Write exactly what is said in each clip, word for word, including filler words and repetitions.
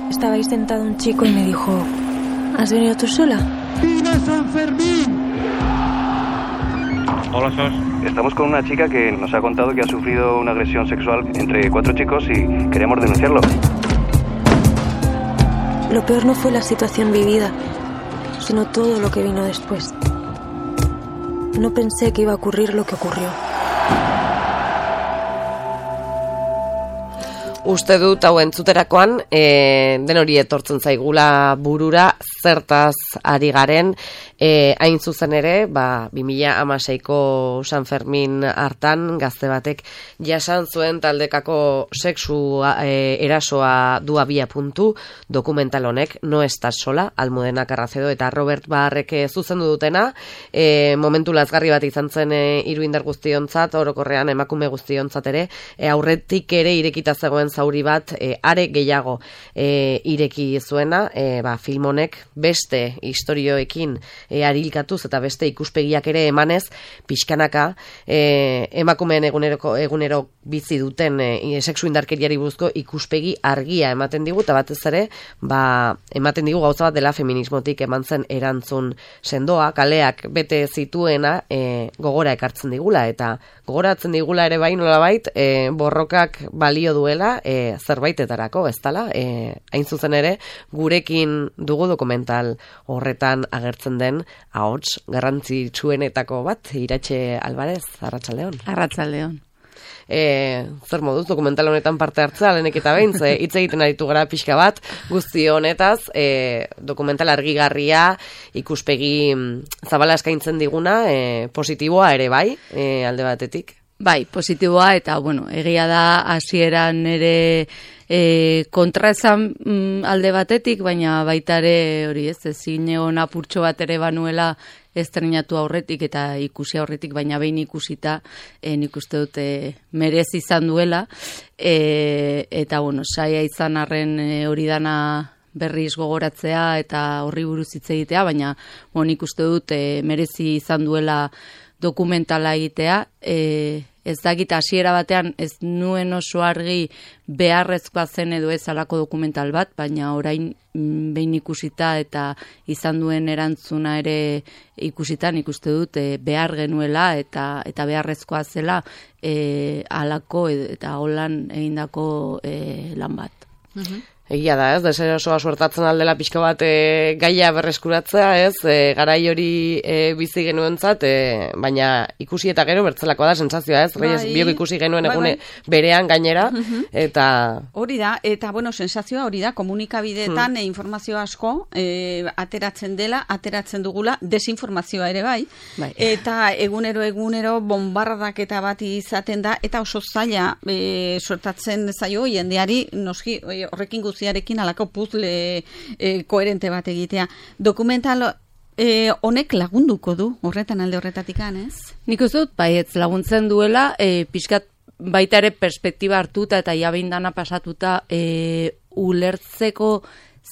Estaba ahí sentado un chico y me dijo, ¿has venido tú sola? ¡Viva San Fermín! Hola, Sos. Estamos con una chica que nos ha contado que ha sufrido una agresión sexual entre cuatro chicos y queremos denunciarlo. Lo peor no fue la situación vivida, sino todo lo que vino después. No pensé que iba a ocurrir lo que ocurrió. Uste dut hau entzuterakoan, e, den hori etortzen zaigula burura, zertaz ari garen, e, hain zuzen ere, ba, bi mila hamaseiko San Fermin hartan, gazte batek jasan zuen taldekako sexu e, erasoa du abia puntu, dokumental honek, No estás sola, Almudena Carracedo eta Robert Barrek zuzendu dutena, e, momentu lazgarri bat izan zen e, hiru indar guztiontzat, orokorrean emakume guztiontzat ere, e, aurretik ere irekita zegoen zauri bat, e, are gehiago e, ireki zuena, e, ba, film honek beste istorioekin e, arilkatuz eta beste ikuspegiak ere emanez, pixkanaka e, emakumeen eguneroko, egunero bizi duten e, sexu indarkeriari buruzko ikuspegi argia ematen digu, eta batez ere, ba, ematen digu gauza bat dela feminismotik eman zen erantzun sendoa, kaleak bete zituena e, gogora ekartzen digula, eta gogoratzen digula ere bai nolabait, e, borrokak balio duela, E, zerbaitetarako, ez dala, e, hain zuzen ere, gurekin dugu dokumental horretan agertzen den ahots garrantzitsuenetako bat, Iratxe Alvarez, Arratsaldeon. Arratsaldeon. E, zer moduz dokumental honetan parte hartzea, lehenek eta behin, ze hitz egiten aritu gara pixka bat, guzti honetaz, e, dokumental argigarria, ikuspegi zabala eskaintzen diguna, e, positiboa ere bai, e, alde batetik. Bai, positiboa, eta, bueno, egia da hasieran ere e, kontra esan mm, alde batetik, baina baita ere hori ez, ezin egon apurtxo bat ere banuela estrenatu aurretik eta ikusi aurretik, baina behin ikusita e, nik uste dute merez izan duela, e, eta, bueno, saia izan arren e, hori dana berriz gogoratzea eta horri buruz hitz egitea, baina, bueno, nik uste dut e, merezi izan duela dokumentala egitea, e, ez dakit hasiera batean ez nuen oso argi beharrezkoa zen edo ez alako dokumental bat, baina orain mm, behin ikusita eta izan duen erantzuna ere ikusitan ikuste dut e, behar genuela eta eta beharrezkoa zela e, alako eta holan egindako e, lan bat. Uh-huh. Egia da, ez, deserosoa suertatzen aldela pixka bat e, gaia berreskuratzea, ez, e, garai hori e, bizi genuentzat, e, baina ikusi eta gero bertzelakoa da sentsazioa, ez, Reyes, bai, biok ikusi genuen bai, egune bai. Berean gainera, eta... Hori da, eta, bueno, sensazioa hori da, komunikabideetan hmm. e, informazio asko e, ateratzen dela, ateratzen dugula, desinformazioa ere bai, bai. Eta egunero, egunero, bombardaketa bat izaten da, eta oso zaila e, suertatzen zaio, jendeari, noski, horrekin guzti ziarekin alako puzle e, koherente bat egitea. Dokumental e, honek lagunduko du horretan alde horretatikan, ez? Nik uste dut, bai, ez laguntzen duela, e, pixkat baita ere perspektiba hartuta eta jabeindana pasatuta e, ulertzeko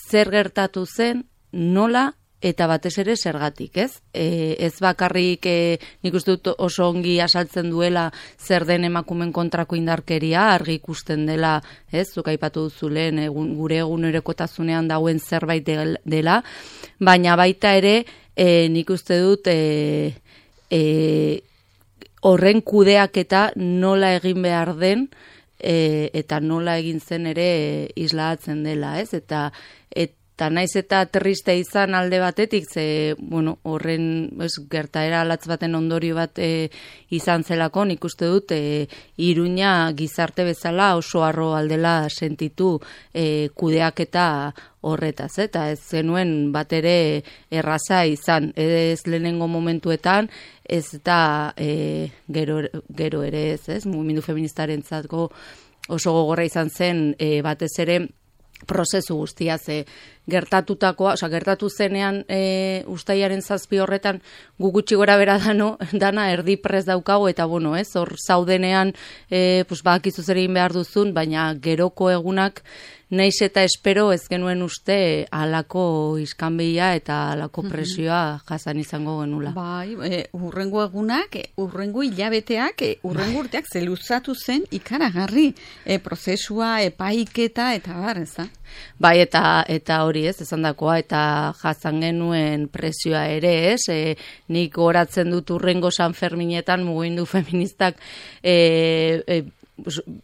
zer gertatu zen, nola eta batez ere zergatik, ez? E, ez bakarrik e, nik uste dut oso ongi asaltzen duela zer den emakumen kontrako indarkeria, argi ikusten dela, ez? Zuk aipatu duzu lehen egun, gure egunerokotasunean dauen zerbait dela, baina baita ere e, nik uste dut e, e, horren kudeaketa nola egin behar den e, eta nola egin zen ere e, islatzen dela, ez? Eta et, Eta naiz eta triste izan alde batetik, ze, bueno, horren ez, gertaera latz baten ondorio bat e, izan zelako, nik uste dut, e, Iruña gizarte bezala oso harro aldela sentitu e, kudeaketa horretaz, eta ez zenuen bat ere erraza izan, ez lehenengo momentuetan, ez eta e, gero, gero ere ez, ez, mugimendu feministaren zatko oso gogorra izan zen, e, batez ere, prozesu guztia, ze gertatutakoa, osea, gertatu zenean e, ustailaren zazpi horretan gu gutxi gora bera dano, dana erdi prez daukago, eta bueno, ez, hor zaudenean, e, pues, bakizu zer egin behar duzun, baina geroko egunak, naiz eta espero ez genuen uste halako iskanbila eta halako presioa jasan izango genula. Bai, e, urrengo egunak, urrengo hilabeteak, e, urrengo urteak zeluzatu zen ikaragarri e, prozesua, epaiketa eta bar, ez da? Bai, eta eta hori ez, esandakoa, eta jasan genuen presioa ere, ez? E, nik goratzen dut urrengo San Ferminetan mugimendu feministak e, e,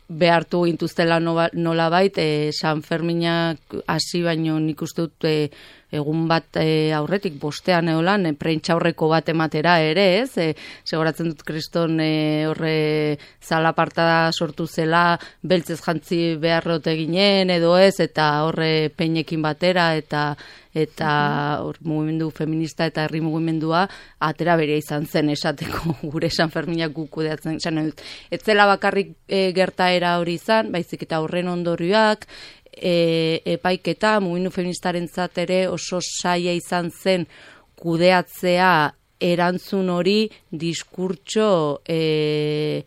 behartu gintuztela nola bait, e, San Ferminak hasi baino nik uste dut e, egun bat e, aurretik bostean eolan, e, prentxaurreko bat ematera ere, ez? E, segoratzen dut kriston e, horre zalaparta sortu zela, beltzez jantzi beharrote ginen edo ez, eta horre peinekin batera, eta eta hor mugimendu feminista eta herri mugimendua atera berea izan zen esateko gure San Ferminak guk kudeatzen izan dut. Ez zela bakarrik e, gertaera hori izan, baizik eta horren ondorioak, e, epaiketa mugimendu feministarentzat ere oso saia izan zen kudeatzea erantzun hori diskurtso e,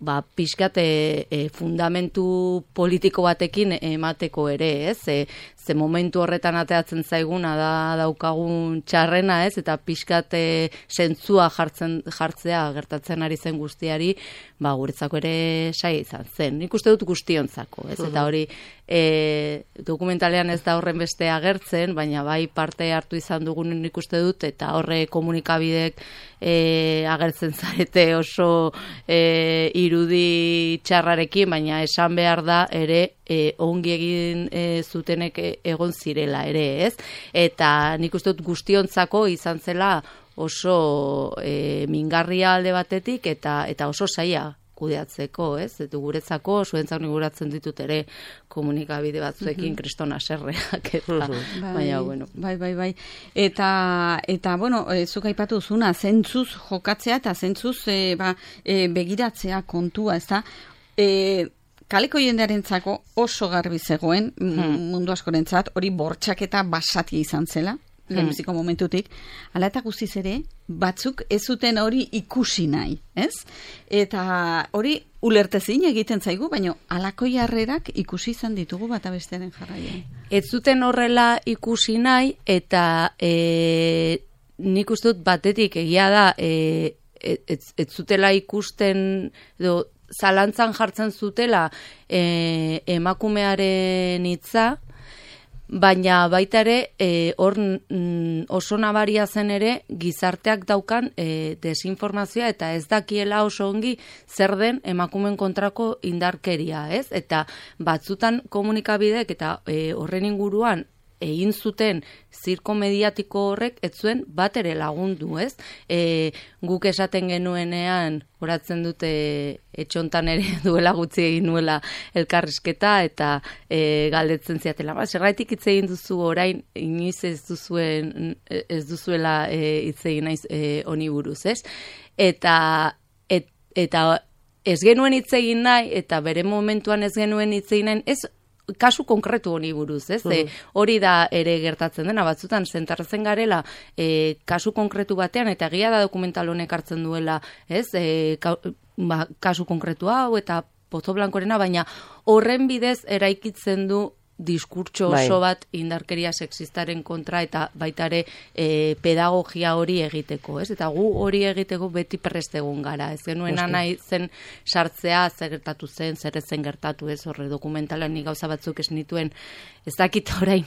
ba, pixkat e, e, fundamentu politiko batekin emateko ere, ez? E, ze momentu horretan ateatzen zaiguna da daukagun txarrena, ez? Eta pixkat e, zentzua jartzen, jartzea gertatzen ari zen guztiari, ba, guretzako ere saia izan zen. Nik uste dut guztiontzako, ez? Eta hori e, dokumentalean ez da horren beste agertzen, baina bai parte hartu izan dugun nik uste dut, eta horre komunikabidek e, agertzen zarete oso e, irudi txarrarekin, baina esan behar da ere e, ongi egin e, zutenek egon zirela ere, ez? Eta nik uste dut guztiontzako izan zela oso e, mingarria alde batetik eta eta oso saia kudeatzeko, ez? Eta guretzako, zuentzak niguratzen ditut ere komunikabide batzuekin kristona serreak, eta, baina, bueno. Bai, bai, bai. Eta, eta bueno, e, zuk aipatu zuna, zentzuz jokatzea eta zentzuz e, ba, e, begiratzea kontua, ez da? E, kaleko jendearentzako oso garbi zegoen, hmm. mundu askorentzat, hori bortxaketa basatia izan zela, lehenbiziko momentutik, ala eta guztiz ere, batzuk ez zuten hori ikusi nahi, ez? Eta hori ulertezin egiten zaigu, baina halako jarrerak ikusi izan ditugu bata bestearen jarraian. Ez zuten horrela ikusi nahi, eta e, nik uste dut batetik egia da, e, ez, ez zutela ikusten, edo, zalantzan jartzen zutela e, emakumearen hitza, baina baita ere e, hor mm, oso nabaria zen ere gizarteak daukan e, desinformazioa eta ez dakiela oso ongi zer den emakumeen kontrako indarkeria, ez? Eta batzutan komunikabideek eta e, horren inguruan egin zuten zirko mediatiko horrek ez zuen bat ere lagundu, ez? E, guk esaten genuenean, horatzen dute etxontan ere duela gutxi egin nuela elkarrizketa eta e, galdetzen ziatela. Ba, zergatik hitz egin duzu orain inoiz ez duzuen ez duzuela e, hitz egin naiz e, honi buruz, ez? Eta et, eta ez genuen hitz egin nahi eta bere momentuan ez genuen hitz egin nahi, ez kasu konkretu honi buruz, ez? Mm. E, hori da ere gertatzen dena, batzutan zentartzen garela e, kasu konkretu batean, eta egia da dokumental honek hartzen duela, ez? E, ka, ba, kasu konkretu hau eta Pozo Blankorena, baina horren bidez eraikitzen du diskurtso oso bat indarkeria sexistaren kontra eta baita ere e, pedagogia hori egiteko, ez? Eta gu hori egiteko beti prest egon gara, ez genuena nahi zen sartzea zer gertatu zen, zer ez zen gertatu, ez? Horre dokumentalan ni gauza batzuk ez nituen, ez dakit orain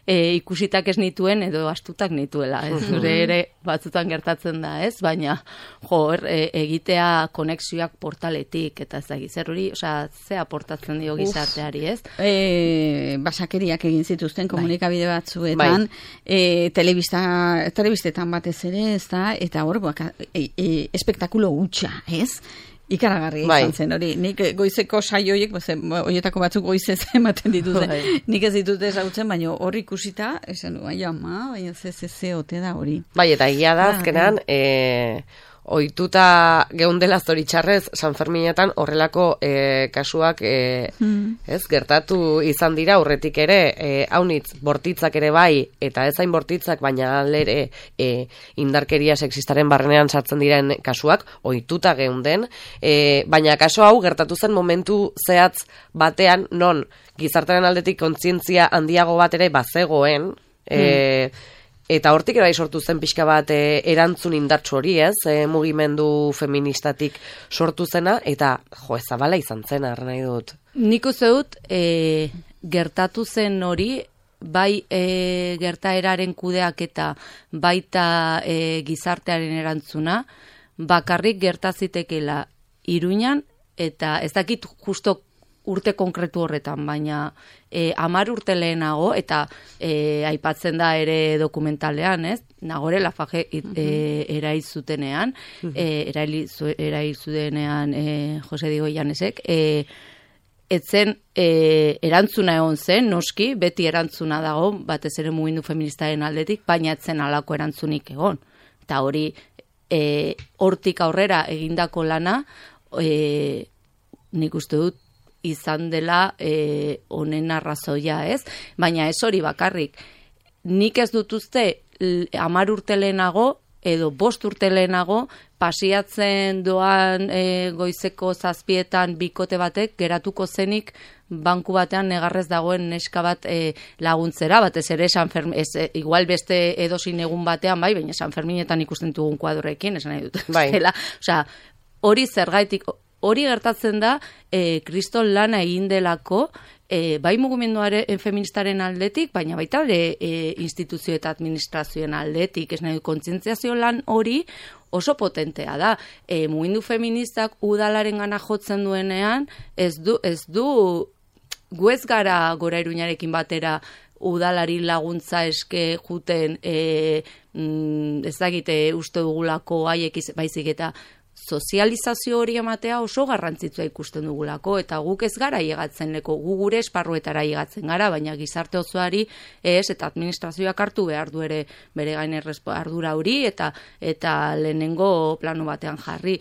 e, ikusitak ez nituen edo astutak nituela, ez? Zure ere batzutan gertatzen da, ez? Baina, jo, e, egitea konexioak portaletik eta ez da zer hori, osea, ze aportatzen dio gizarteari, ez? Eh, basakeriak egin zituzten komunikabide batzuetan, e, telebista, telebistetan batez ere, ez da, eta hor, e, e, espektakulo hutsa, ez? Ikaragarri izan zen, hori. Nik goizeko saioiek, horietako batzuk goizez ematen dituzte. Nik ez ditut ezagutzen, baina hor ikusita, esan du, baina ama, baina ze, ze, ze, ote da hori. Bai, eta egia da, azkenan, e, ohituta geundela zoritxarrez San Ferminetan horrelako e, kasuak e, hmm. ez gertatu izan dira aurretik ere, e, haunitz bortitzak ere bai, eta ez hain bortitzak, baina alere e, indarkeria sexistaren barrenean sartzen diren kasuak, ohituta geunden, e, baina kaso hau gertatu zen momentu zehatz batean, non gizartearen aldetik kontzientzia handiago bat ere bazegoen, e, hmm. eta hortik ere sortu zen pixka bat e, erantzun indartsu hori, ez? E, mugimendu feministatik sortu zena, eta jo, ezabala izan zen, arra nahi dut. Nik uste dut, e, gertatu zen hori, bai e, gertaeraren kudeak eta baita e, gizartearen erantzuna, bakarrik gertazitekela Iruñan, eta ez dakit justo urte konkretu horretan, baina e, amar urte lehenago, eta e, aipatzen da ere dokumentalean, ez? Nagore Lafaje e, eraizutenean, e, eraizutenean e, Jose Diego Llanesek, e, etzen e, erantzuna egon zen, noski, beti erantzuna dago, batez ere mugimendu feministaren aldetik, baina etzen halako erantzunik egon. Eta hori, e, hortik aurrera egindako lana, e, nik uste dut, izan dela e, honen arrazoia, ez? Baina ez hori bakarrik. Nik ez dut uste hamar urte lehenago edo bost urte lehenago pasiatzen doan e, goizeko zazpietan bikote batek geratuko zenik banku batean negarrez dagoen neska bat e, laguntzera, batez ere San Fermin, ez, e, igual beste edozein egun batean, bai, baina San Ferminetan ikusten dugun kuadroekin, esan nahi dut. Bai. Osea, hori zergaitik, hori gertatzen da, e, kriston lana egin delako, e, bai mugimenduaren feministaren aldetik, baina baita ere e, instituzio eta administrazioen aldetik, ez nahi kontzientziazio lan hori oso potentea da. E, mugimendu feministak udalaren gana jotzen duenean, ez du, ez du gu ez gara Gora Iruñarekin batera udalari laguntza eske juten, e, mm, ez dakite uste dugulako haiek baizik eta sozializazio hori ematea oso garrantzitsua ikusten dugulako, eta guk ez gara llegatzen leko, gu gure esparruetara llegatzen gara, baina gizarte osoari ez, eta administrazioak hartu behar du ere bere gain ardura hori, eta eta lehenengo plano batean jarri.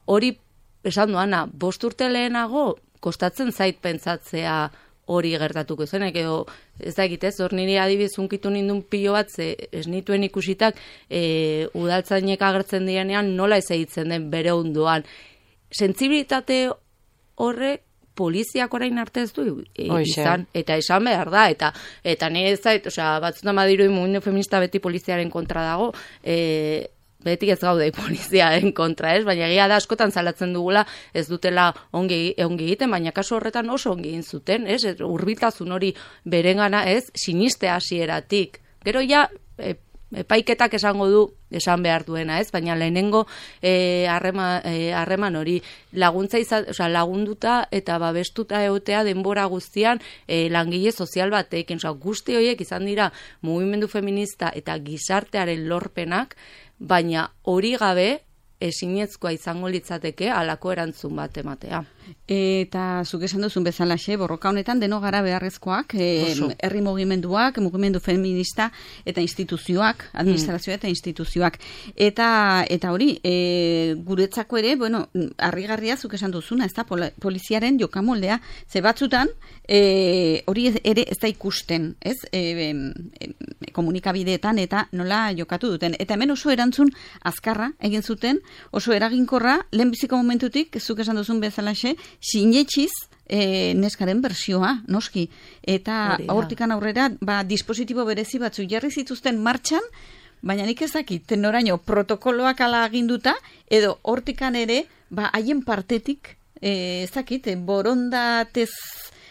Hori, esan duana, bost urte lehenago, kostatzen zait pentsatzea hori gertatuko zenek, edo ez da egitez, hor niri adibidez unkitu nindun pilo bat, ze ez nituen ikusitak e, udaltzainek agertzen direnean nola ez egitzen den bere ondoan. Sentsibilitate horrek poliziak orain arte ez du e, izan, eta esan behar da, eta eta nire ez zait, osea, batzutan badiru mugimendu feminista beti poliziaren kontra dago, e, beti ez gaude poliziaren kontra, ez? Baina egia da askotan salatzen dugula ez dutela ongi, ongi egiten, baina kasu horretan oso ongi egin zuten, ez? Hurbiltasun hori berengana, ez? Siniste hasieratik. Gero ja, e, epaiketak esango du, esan behar duena, ez? Baina lehenengo e, harreman, e, harreman hori laguntza izan, osea, lagunduta eta babestuta egotea denbora guztian e, langile sozial batekin, osea, guzti horiek izan dira mugimendu feminista eta gizartearen lorpenak, baina hori gabe ezinezkoa izango litzateke halako erantzun bat ematea. Eta zuk esan duzun bezalaxe, borroka honetan deno gara beharrezkoak, e, herri mugimenduak, mugimendu feminista eta instituzioak, administrazioa eta instituzioak. Eta eta hori, e, guretzako ere, bueno, harrigarria zuk esan duzuna, ez da, poliziaren jokamoldea, ze batzutan, e, hori ere ez da ikusten, ez, e, e, komunikabideetan eta nola jokatu duten. Eta hemen oso erantzun azkarra egin zuten, oso eraginkorra, lehenbiziko momentutik, zuk esan duzun bezalaxe, sinetxiz e, neskaren bersioa, noski. Eta hortikan aurrera, ba, dispositibo berezi batzu jarri zituzten martxan, baina nik ez dakit, noraino protokoloak ala aginduta, edo hortikan ere, ba, haien partetik, e, ez dakit, borondatez,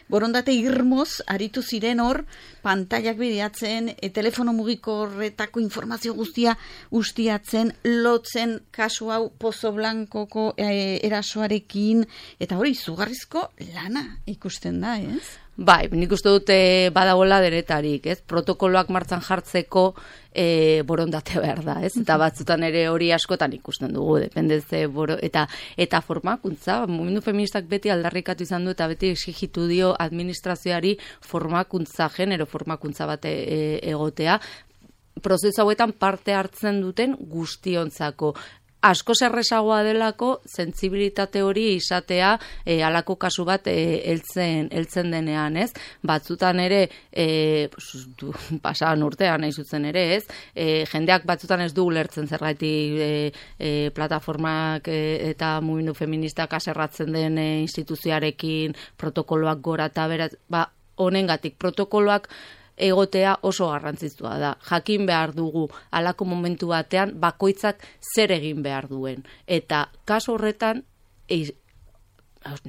borondate irmoz, aritu ziren hor, pantailak bideatzen, e, telefono mugikorretako informazio guztia ustiatzen, lotzen kasu hau Pozo Blankoko e, erasoarekin, eta hori izugarrizko lana ikusten da, ez? Bai, nik uste dute badagoela denetarik, ez? Protokoloak martzan jartzeko e, borondate behar da, ez? Eta batzutan ere hori askotan ikusten dugu, dependeze boro, eta eta formakuntza, mugimendu feministak beti aldarrikatu izan du eta beti exigitu dio administrazioari formakuntza, genero formakuntza bat e, egotea, prozesu hauetan parte hartzen duten guztiontzako. asko zerrezagoa delako sentsibilitate hori izatea e, alako kasu bat e, heltzen heltzen denean, ez? Batzutan ere e, pues, du, pasadan urtean nahi zutzen ere, ez? E, jendeak batzutan ez du ulertzen zergatik e, e, plataformak e, eta mugimendu feministak aserratzen den e, instituzioarekin protokoloak gora eta beraz, ba, honengatik protokoloak egotea oso garrantzitsua da. Jakin behar dugu halako momentu batean bakoitzak zer egin behar duen. Eta kasu horretan e,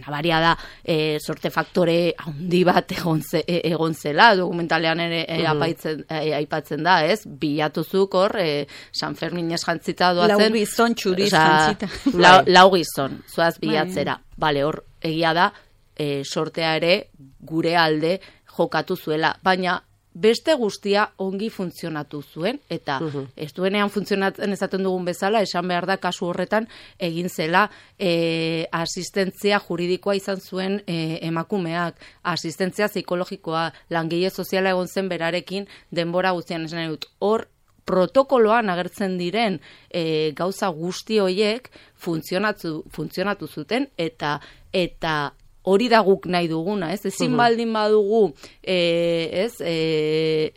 nabaria da e, sorte faktore handi bat egon, ze, e, egon zela, dokumentalean ere e, apaitzen, e, aipatzen da, ez? Bilatuzuk hor, e, San Ferminez jantzita doazen. Lau gizon txuriz jantzita. Lau, lau gizon, zuaz bilatzera. Bale, hor, egia da, e, sortea ere gure alde jokatu zuela, baina beste guztia ongi funtzionatu zuen, eta uh-huh. ez duenean funtzionatzen esaten dugun bezala, esan behar da kasu horretan egin zela e, asistentzia juridikoa izan zuen e, emakumeak, asistentzia psikologikoa, langile soziala egon zen berarekin denbora guztian esan dut. Hor, protokoloan agertzen diren e, gauza guzti horiek funtzionatu, funtzionatu zuten, eta eta hori da guk nahi duguna, ez? Ezin baldin badugu, e, ez, e,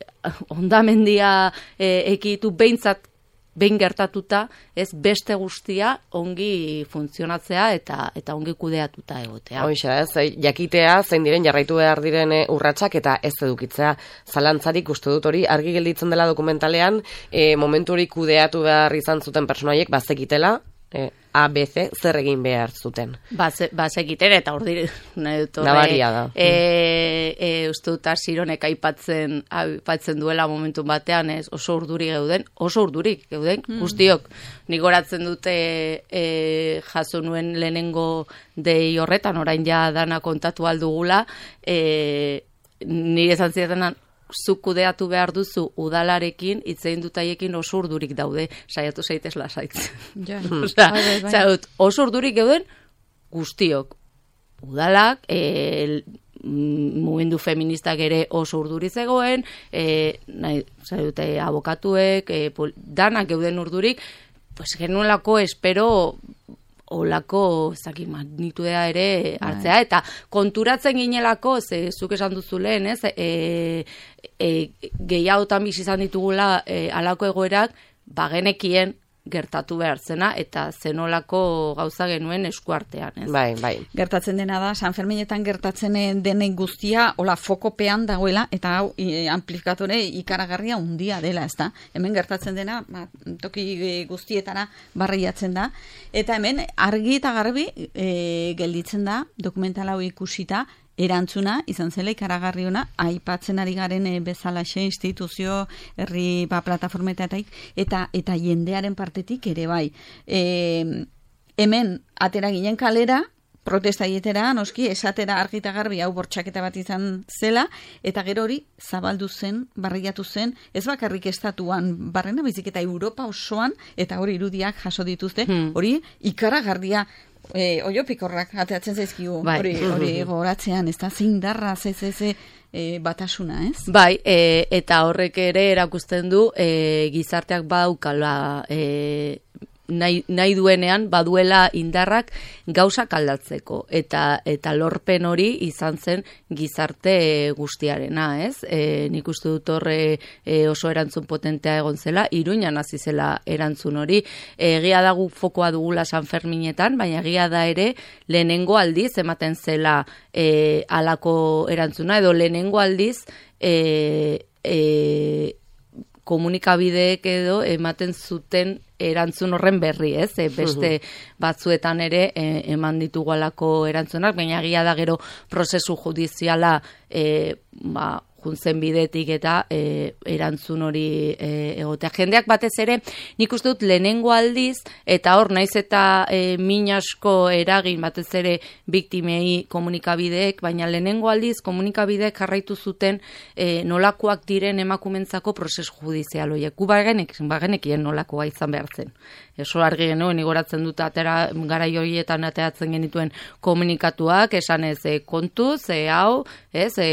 ondamendia e, ekitu behintzat behin gertatuta, ez beste guztia ongi funtzionatzea eta eta ongi kudeatuta egotea. Hoixa, ez, jakitea zein diren jarraitu behar diren urratsak eta ez edukitzea zalantzarik uste dut hori argi gelditzen dela dokumentalean, e, momentu hori kudeatu behar izan zuten pertsonaiek bazekitela, E, A, B, C, zer egin behar zuten. Bazekiten, eta hor dire, nahi dut horre. Nabaria da. E, e, uste dut asironek aipatzen, aipatzen duela momentu batean, ez, oso urduri geuden, oso urdurik geuden, mm. guztiok. Nik oratzen dute e, jaso nuen lehenengo dei horretan, orain ja dana kontatu aldugula, e, nire esan zidatenan, zuk kudeatu behar duzu udalarekin, itzein dutaiekin oso urdurik daude, saiatu zaitez lasaitzen. Ja. Osa, bai, bai. Zaut, oso urdurik geuden guztiok. Udalak, e, mugimendu feministak ere oso urduri zegoen, e, nahi, zaudute, abokatuek, e, pol, danak geuden urdurik, pues genuelako espero olako ezaki magnitudea ere hartzea, eta konturatzen ginelako, ze zuk esan duzu lehen, ez, e, e, gehiagotan bizi izan ditugula e, alako egoerak, bagenekien gertatu behar zena, eta zenolako gauza genuen eskuartean, ez? Bai, bai. Gertatzen dena da, San Ferminetan gertatzen denen guztia, hola fokopean dagoela, eta hau e, amplifikatore ikaragarria undia dela, ez da? Hemen gertatzen dena, ba, toki guztietara barriatzen da, eta hemen argi eta garbi e, gelditzen da, dokumental hau ikusita, erantzuna, izan zela ikaragarri ona, aipatzen ari garen e, bezalaxe instituzio, herri ba, plataformetatik, eta eta jendearen partetik ere bai. E, hemen, atera ginen kalera, protesta dietera, noski, esatera argi eta garbi hau bortxaketa bat izan zela, eta gero hori zabaldu zen, barriatu zen, ez bakarrik estatuan, barrena bizik eta Europa osoan, eta hori irudiak jaso dituzte, hori ikaragarria, E, oiopikorrak ateatzen zaizkigu, bai. hori, hori goratzean, ez da, zindarra, ze, ze, ze, e, batasuna, ez? Bai, e, eta horrek ere erakusten du e, gizarteak badaukala e, nahi, nahi duenean baduela indarrak gauzak aldatzeko, eta eta lorpen hori izan zen gizarte guztiarena, ez? E, nik uste dut horre e, oso erantzun potentea egon zela, Iruñan hasi zela erantzun hori, egia da gu fokoa dugula San Ferminetan, baina egia da ere lehenengo aldiz ematen zela e, alako erantzuna, edo lehenengo aldiz e, e, komunikabideek edo ematen zuten erantzun horren berri, ez? E, beste batzuetan ere e, eman ditugualako erantzunak, baina egia da gero prozesu judiziala e, ba, juntzen bidetik eta e, erantzun hori e, egotea. Jendeak batez ere, nik uste dut lehenengo aldiz, eta hor naiz eta e, min asko eragin batez ere biktimei komunikabideek, baina lehenengo aldiz komunikabideek jarraitu zuten e, nolakoak diren emakumentzako prozesu judizial horiek. Gu bagenek, bagenekien nolakoa izan behar zen. Eso argi genuen, igoratzen dut atera garai horietan ateratzen genituen komunikatuak, esan ez e, kontuz, e, hau, ez, e,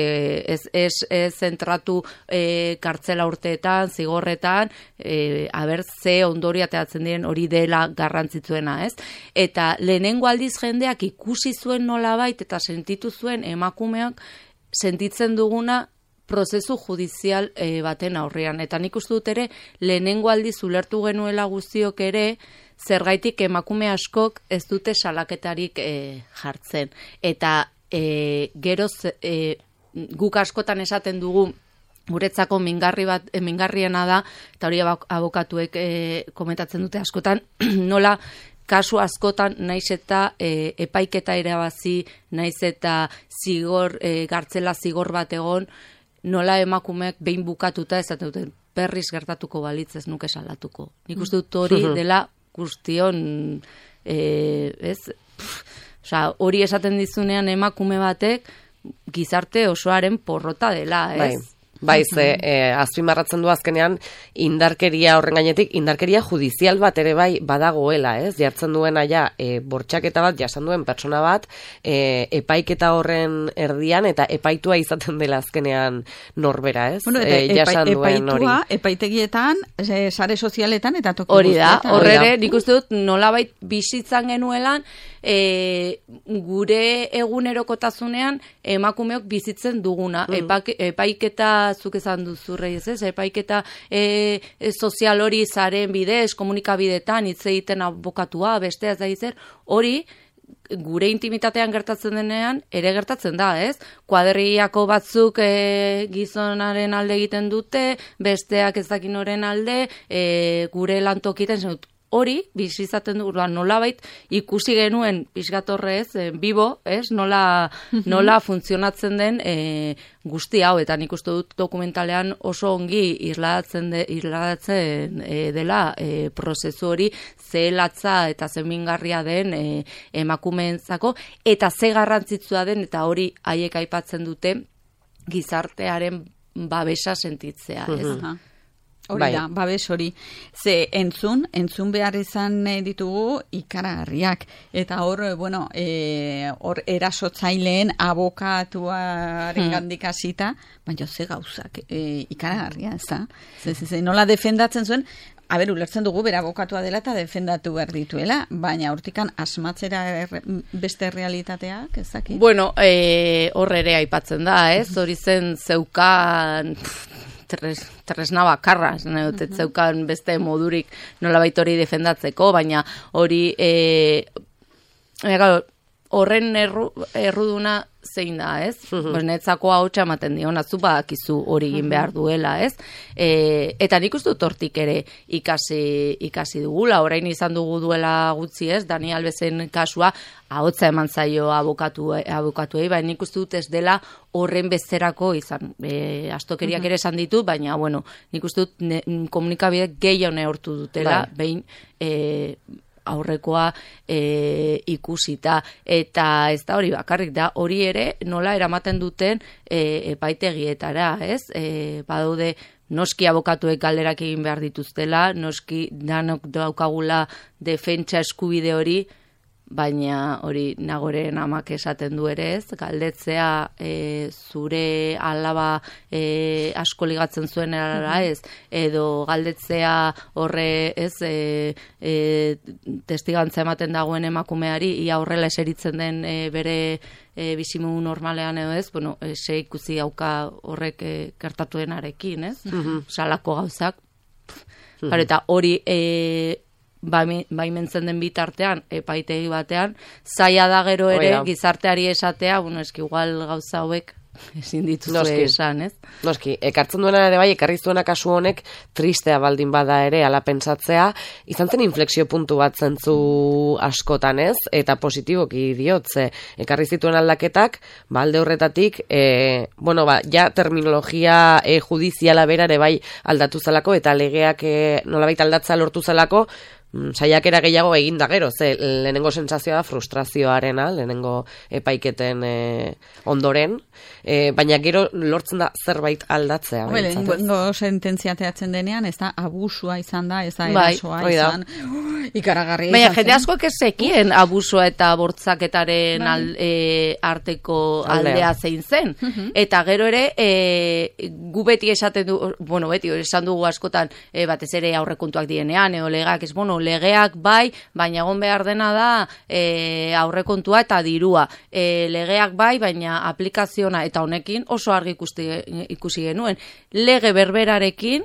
ez, ez, e, zentratu e, kartzela urteetan, zigorretan, e, aber ze ondori ateatzen diren hori dela garrantzitsuena, ez? Eta lehenengo aldiz jendeak ikusi zuen nolabait eta sentitu zuen emakumeak sentitzen duguna prozesu judizial e, baten aurrean. Eta nik uste dut ere, lehenengo aldiz ulertu genuela guztiok ere, zergaitik emakume askok ez dute salaketarik e, jartzen. Eta e, geroz e, guk askotan esaten dugu, guretzako mingarri bat, e, mingarriena da, eta hori abokatuek e, komentatzen dute askotan, nola kasu askotan naiz eta e, epaiketa irabazi, naiz eta zigor, e, gartzela zigor bat egon, nola emakumeak behin bukatuta esaten duten berriz gertatuko balitz ez nuke salatuko. Nik uste dut hori dela guztion, e, ez? Osea, hori esaten dizunean emakume batek gizarte osoaren porrota dela, ez? Bai. Bai, ze, eh, azpimarratzen du azkenean indarkeria horren gainetik, indarkeria judizial bat ere bai badagoela, ez? Jartzen duena ja, e, bortxaketa bat, jasan duen pertsona bat, e, epaiketa horren erdian, eta epaitua izaten dela azkenean norbera, ez? Bueno, eta e, jasan epa, duen hori. Epaitua, epaitegietan, e, sare sozialetan, eta toki hori da, guztietan. horrere, nik uste dut nolabait bizitzan genuelan, e, gure egunerokotasunean emakumeok bizitzen duguna. Mm. Epak, epaiketa zuk esan duzu reiz, ez? Epaiketa e, e, sozial hori zaren bidez, komunikabidetan, hitz egiten abokatua, beste ez da zer, hori gure intimitatean gertatzen denean, ere gertatzen da, ez? Kuadriako batzuk e, gizonaren alde egiten dute, besteak ez dakin oren alde, e, gure lantokiten zen dut. Hori, bizizaten du, nolabait ikusi genuen pixgatorrez, e, bibo, ez? Nola, nola funtzionatzen den e, guzti hau, eta nik uste dut dokumentalean oso ongi irladatzen, de, irladatzen e, dela e, prozesu hori ze latza eta ze mingarria den e, emakumeentzako, eta ze garrantzitsua den, eta hori haiek aipatzen dute gizartearen babesa sentitzea, ez? Uh-huh. Hori bai. Da, babes hori. Ze entzun, entzun behar izan ditugu ikaragarriak. Eta hor, bueno, e, hor erasotzaileen abokatuaren hmm. gandik hasita, baina ze gauzak e, ikaragarria, ez da? Ze, ze, ze, nola defendatzen zuen, a ber, ulertzen dugu bera abokatua dela eta defendatu behar dituela, baina hortikan asmatzera er, beste realitateak, ez dakit? Bueno, e, hor ere aipatzen da, ez? Hori zen zeukan... Tres, tresna bakarra, uh-huh. zeukan beste modurik nolabait hori defendatzeko, baina hori e, horren erru, erruduna zein da, ez? Uh-huh. Netzako hautsa ematen dio, natzu badakizu hori egin behar duela, ez? E, eta nik uste dut hortik ere ikasi, ikasi dugula, orain izan dugu duela gutxi, ez? Dani Alvesen kasua, ahotsa eman zaio abokatu, abokatuei, baina nik uste dut ez dela horren bezerako izan. E, astokeriak ere esan ditu, baina, bueno, nik uste dut ne, komunikabidek gehiago neurtu dutela, bai. Behin, e, aurrekoa e, ikusita, eta ez da hori bakarrik da, hori ere nola eramaten duten e, epaitegietara, ez? E, badaude noski abokatuek galderak egin behar dituztela, noski danok daukagula defentsa eskubide hori, baina hori Nagoren amak esaten du ere, ez? Galdetzea e, zure alaba e, asko ligatzen zuen erara, ez? Edo galdetzea horre, ez? E, e, testigantza ematen dagoen emakumeari, ia horrela eseritzen den e, bere e, bizimu normalean edo, ez? Bueno, ese ikusi hauka horrek e, gertatuenarekin, ez? Mm-hmm. Salako gauzak. Mm-hmm. Eta hori... E, baimentzen den bitartean, epaitegi batean, zaila da gero ere, Oia. Gizarteari esatea, bueno, eski igual gauza hauek ezin dituzue esan, ez? Noski, ekartzen duena ere bai, ekarri zuena kasu honek tristea baldin bada ere, ala pentsatzea, izan zen inflexio puntu bat zentzu askotan, ez? Eta positiboki diotze, ekarri zituen aldaketak, ba, alde horretatik, e, bueno, ba, ja terminologia e, judiziala bera ere bai aldatu zelako, eta legeak e, nolabait aldatza lortu zelako, saiakera gehiago egin da gero, ze lehenengo sentsazioa da frustrazioarena, lehenengo epaiketen e, ondoren, e, baina gero lortzen da zerbait aldatzea. Hombre, lehenengo sententzia teatzen denean, ez da abusua izan da, ez da erasoa bai, izan, uh, ikaragarria baina jende askoak ez zekien abusua eta bortzaketaren bai. al, e, arteko aldea, aldea zein zen. Uh-huh. Eta gero ere, e, gu beti esaten du, bueno, beti esan dugu askotan, e, batez ere aurrekontuak dienean, eo legak, ez bueno, legeak bai, baina egon behar dena da e, aurrekontua eta dirua. E, legeak bai, baina aplikaziona eta honekin oso argi ikusti, ikusi genuen. Lege berberarekin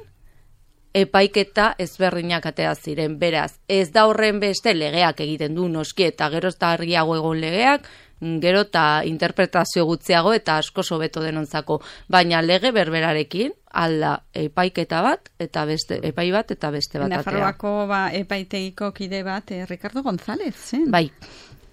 epaiketa ezberdinak atea ziren. Beraz, ez da horren beste legeak egiten du noski eta gero ez da argiago egon legeak, gero eta interpretazio gutxiago eta asko hobeto denontzako. Baina lege berberarekin alda epaiketa bat eta beste epai bat eta beste bat atea. Nafarroako ba, epaitegiko kide bat, eh, Ricardo González, zen? Bai.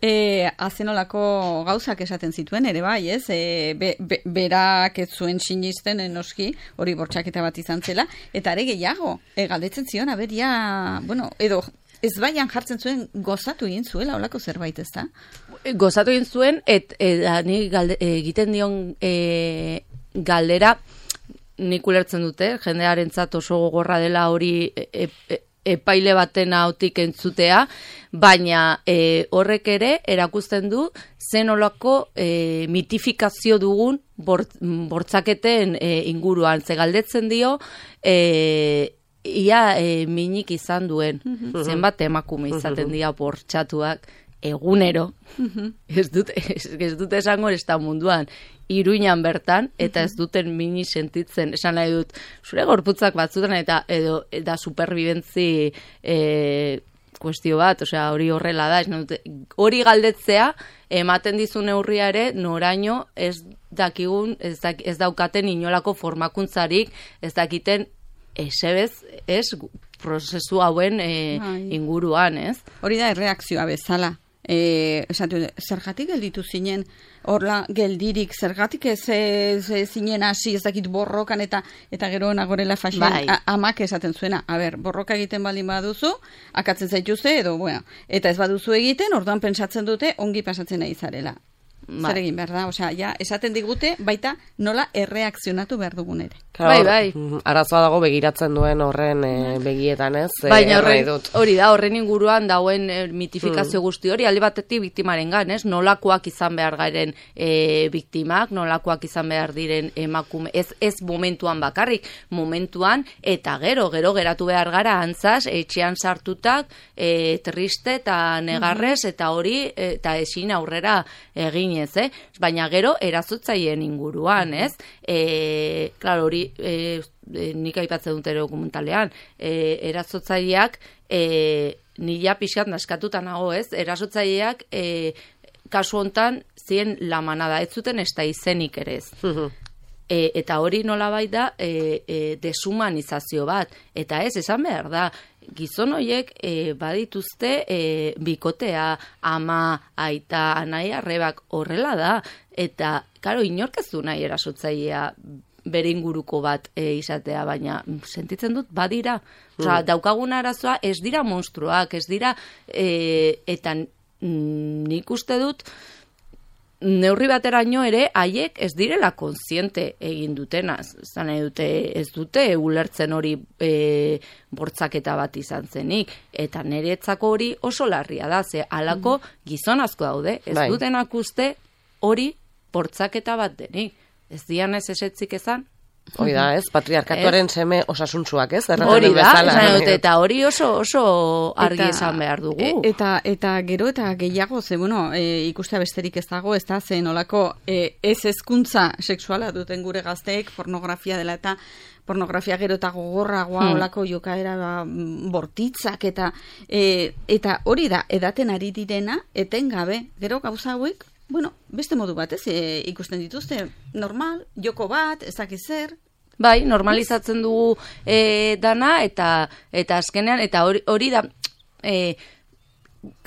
E, azenolako gauzak esaten zituen ere bai, ez? E, be, be, berak ez zuen sinisten enoski, hori bortxaketa bat izan zela, eta are gehiago, e, galdetzen zion, aberia, bueno, edo ez baian jartzen zuen gozatu egin zuela, olako zerbait ez da? Gozatu egin zuen, et, et, ni galde, egiten dion e, galdera, nik ulertzen dute, jendearentzat oso gogorra dela hori e, e, epaile baten hautik entzutea, baina e, horrek ere erakusten du zenolako e, mitifikazio dugun bort, bortzaketen e, inguruan. Ze galdetzen dio, e, ia e, minik izan duen, mm-hmm. zenbat emakume izaten dira bortxatuak egunero, mm-hmm. ez dut, ez, ez dut esango ez da munduan, Iruinan bertan, eta ez duten mini sentitzen, esan nahi dut, zure gorputzak batzutan, eta edo, da superbibentzi e, kuestio bat, osea, hori horrela da, dut, hori galdetzea, ematen dizu neurria ere, noraino ez dakigun, ez, dak, ez daukaten inolako formakuntzarik, ez dakiten esebez, ez, prozesu hauen e, inguruan, ez? Hori da erreakzioa bezala. E, esatu, zergatik gelditu zinen horla geldirik, zergatik ez, ez, ez zinen hasi ez dakit borrokan eta eta gero nagorela fasien bai. Amak esaten zuena, a ber, borroka egiten baldin baduzu akatzen zaituzte edo bueno, eta ez baduzu egiten orduan pentsatzen dute ongi pasatzen nahi zarela. Zer egin behar da, osea, ja, esaten digute baita nola erreakzionatu behar dugun ere. Claro, bai, bai. Arazoa dago begiratzen duen horren e, begietan, ez? Baina horren, hori da, horren inguruan dauen e, mitifikazio mm. guzti hori, alde batetik biktimaren gan, ez? Nolakoak izan behar garen e, biktimak, nolakoak izan behar diren emakume, ez, ez momentuan bakarrik, momentuan, eta gero, gero geratu behar gara antzaz, etxean sartutak, e, triste eta negarrez, mm-hmm. eta hori, eta ezin aurrera egin ez, eh? Baina gero erazotzaileen inguruan, ez? E, claro, hori e, e, nik aipatzen dut ere dokumentalean, e, erazotzaileak e, nila pixkat naskatuta nago, ez? Erazotzaileak e, kasu hontan zien la manada, ez zuten ez da izenik ere ez. E, eta hori nolabait da e, e, deshumanizazio bat, eta ez, esan behar da, gizon horiek e, badituzte e, bikotea, ama, aita, anai, arrebak horrela da, eta, karo, inork ez du nahi erasotzailea bere inguruko bat e, izatea, baina sentitzen dut badira. Osa, mm. daukagun arazoa ez dira monstruak, ez dira, e, eta nik uste dut, neurri bateraino ere, haiek ez direla kontziente egin dutena. Zan nahi dute, ez dute ulertzen hori e, bortzaketa bat izan zenik. Eta niretzako hori oso larria da, ze halako gizon asko daude. Ez bai. Dutenak uste hori bortzaketa bat denik. Ez dian ez esetzik ezan? Hori da, ez? Patriarkatuaren ez? Seme osasuntsuak, ez? Hori da, dut, eta hori oso oso argi eta, esan behar dugu. Eta, eta gero eta gehiago, ze, bueno, e, ikustea besterik ez dago, ez da, zen olako e, ez hezkuntza sexuala duten gure gazteek, pornografia dela eta pornografia gero eta gogorragoa hmm. olako jokaera ba, bortitzak eta e, eta hori da, edaten ari direna, etengabe, gero gauza hauek, bueno, beste modu bat, ez, e, ikusten dituzte, normal, joko bat, ezakiz zer. Bai, normalizatzen dugu e, dana, eta eta azkenean, eta hori, hori da, e,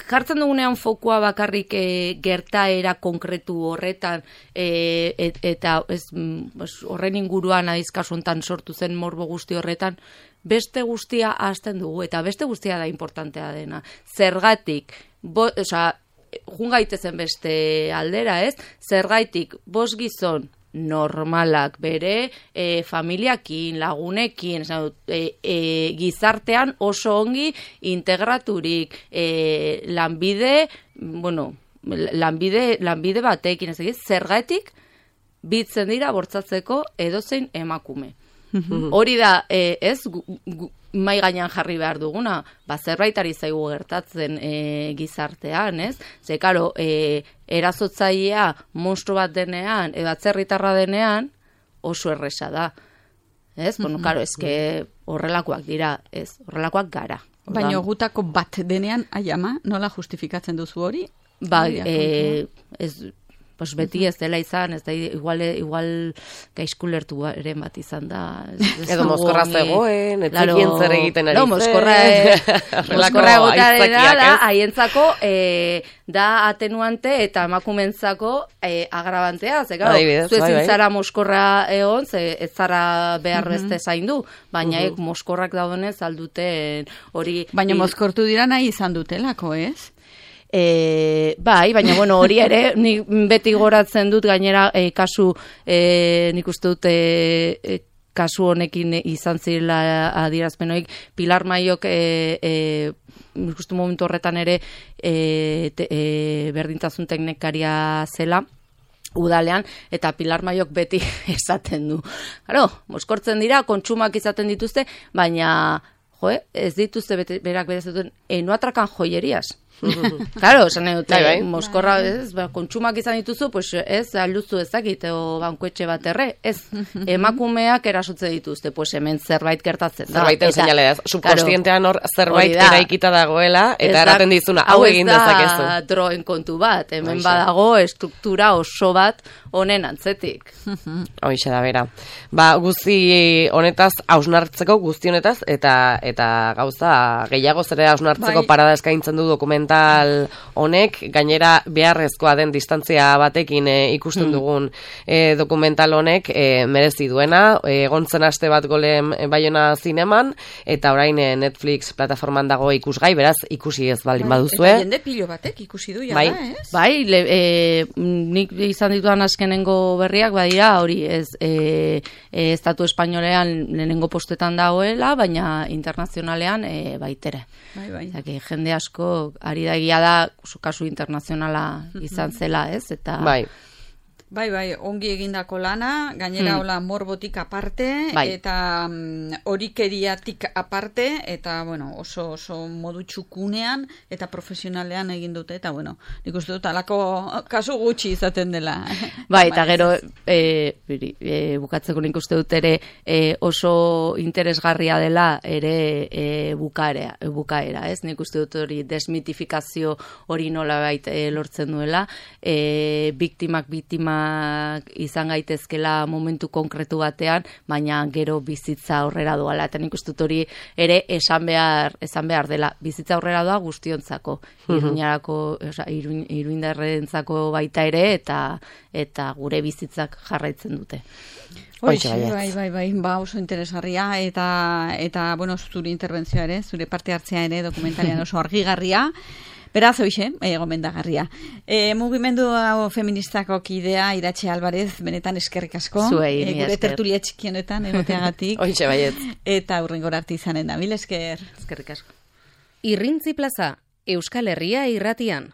jartzen dugunean fokua bakarrik e, gertaera konkretu horretan e, et, eta ez, horren inguruan adizkasu hontan sortu zen morbo guzti horretan, beste guztia ahazten dugu, eta beste guztia da importantea dena. Zergatik, bo, oza, jun gaitezen beste aldera, ez? Zergatik, bost gizon normalak bere e, familiakin, lagunekin, e, e, gizartean oso ongi integraturik, e, lanbide, bueno, lanbide, lanbide batekin, ez egiz, zergatik bitzen dira bortzatzeko edozein emakume. Hori da, e, ez, gu, gu, mai gainean jarri behar duguna, ba, zerbaitari zaigu gertatzen e, gizartean, ez? Ze, karo, e, erazotzailea monstru bat denean, edo atzerritarra denean, oso erresa da. Ez? Bueno, karo, ezke horrelakoak dira, ez? Horrelakoak gara. Baina gutako bat denean, aiama, nola justifikatzen duzu hori? Ba, e, ez... Pues beti ez dela izan, ez da, igual, igual gaizkulertu eren bat izan da. Ez edo mozkorra zegoen, etzekien zer egiten ari zen. Mozkorra, mozkorra egotara da, haientzako e, da atenuante eta emakumentzako e, agrabantea. Ze, gau, zu ezin zara mozkorra egon, ze ez zara behar beste zaindu, baina ek mozkorrak daudenez alduten hori... Baina mozkortu dira nahi izan dutelako, ez? E, bai, baina bueno, hori ere nik beti goratzen dut gainera e, kasu e, nik uste dut e, e, kasu honekin izan zirela adierazpenoik Pilar Maiok e, e, nik uste momentu horretan ere e, te, e, berdintasun teknikaria zela udalean, eta Pilar Maiok beti esaten du. Claro, mozkortzen dira, kontsumak izaten dituzte, baina jo, ez dituzte bete, berak berezetuen, e, no atrakan joyerias. Claro, esan nahi dute, mozkorra, ez, ba, kontsumak izan dituzu, pues ez, alduzu ezakit, o bankuetxe bat erre, ez, emakumeak erasotze dituzte, pues hemen zerbait gertatzen da. Zerbaiten seinale da, subkonstientean hor zerbait eraikita dagoela, eta erraten dizuna, hau egin dezakezu. Hau ez da droen kontu bat, hemen badago estruktura oso bat honen antzetik. Hoixe da, bera. Ba, guzti honetaz, hausnartzeko, guzti honetaz, eta eta gauza gehiago zere hausnartzeko parada eskaintzen du dokumental honek, gainera beharrezkoa den distantzia batekin e, ikusten dugun e, dokumental honek e, merezi duena, egontzen aste bat golen Baiona zineman, eta orain e, Netflix plataforman dago ikusgai, beraz ikusi ez baldin baduzue. Eta jende pilo batek ikusi du ja bai. da, ez? Bai, le, e, nik izan dituan azkenengo berriak, badira, hori ez, e, e, estatu espainolean lehenengo postetan dagoela, baina internazionalean e, baitere. Bai, bai. Zaki, jende asko ari da egia da kasu internazionala izan zela, ez? Eta bai. Bai, bai, ongi egindako lana, gainera hmm. hola morbotik aparte, bai. Eta um, horikeriatik aparte, eta bueno, oso, oso modu txukunean eta profesionalean egin dute, eta bueno, nik uste dut alako kasu gutxi izaten dela. Bai, eta gero e, biri, e, bukatzeko nik uste dut ere e, oso interesgarria dela ere e, bukaera, e, bukaera, ez? Nik uste dut hori desmitifikazio hori nola bait e, lortzen duela, e, biktimak biktima izan gaitezkela momentu konkretu batean, baina gero bizitza aurrera doala, eta nik uste dut hori ere esan behar, esan behar dela, bizitza aurrera doa guztiontzako, iruñarako, oza, iruin, iruindarrentzako baita ere, eta eta gure bizitzak jarraitzen dute. Oixe, bai, bai, bai, ba, oso interesgarria, eta, eta bueno, zure interbentzioa ere, zure parte hartzea ere, dokumentarian oso argigarria, beraz, hoxe, e, gomendagarria. E, mugimendu feministako kidea, Iratxe Alvarez, benetan eskerrik asko. Zuei, e, gure tertulia txikienetan egoteagatik. Hoxe, baiet. Eta hurrengora arte izanen da, mil esker. Eskerrik asko. Irrintzi plaza, Euskal Herria irratian.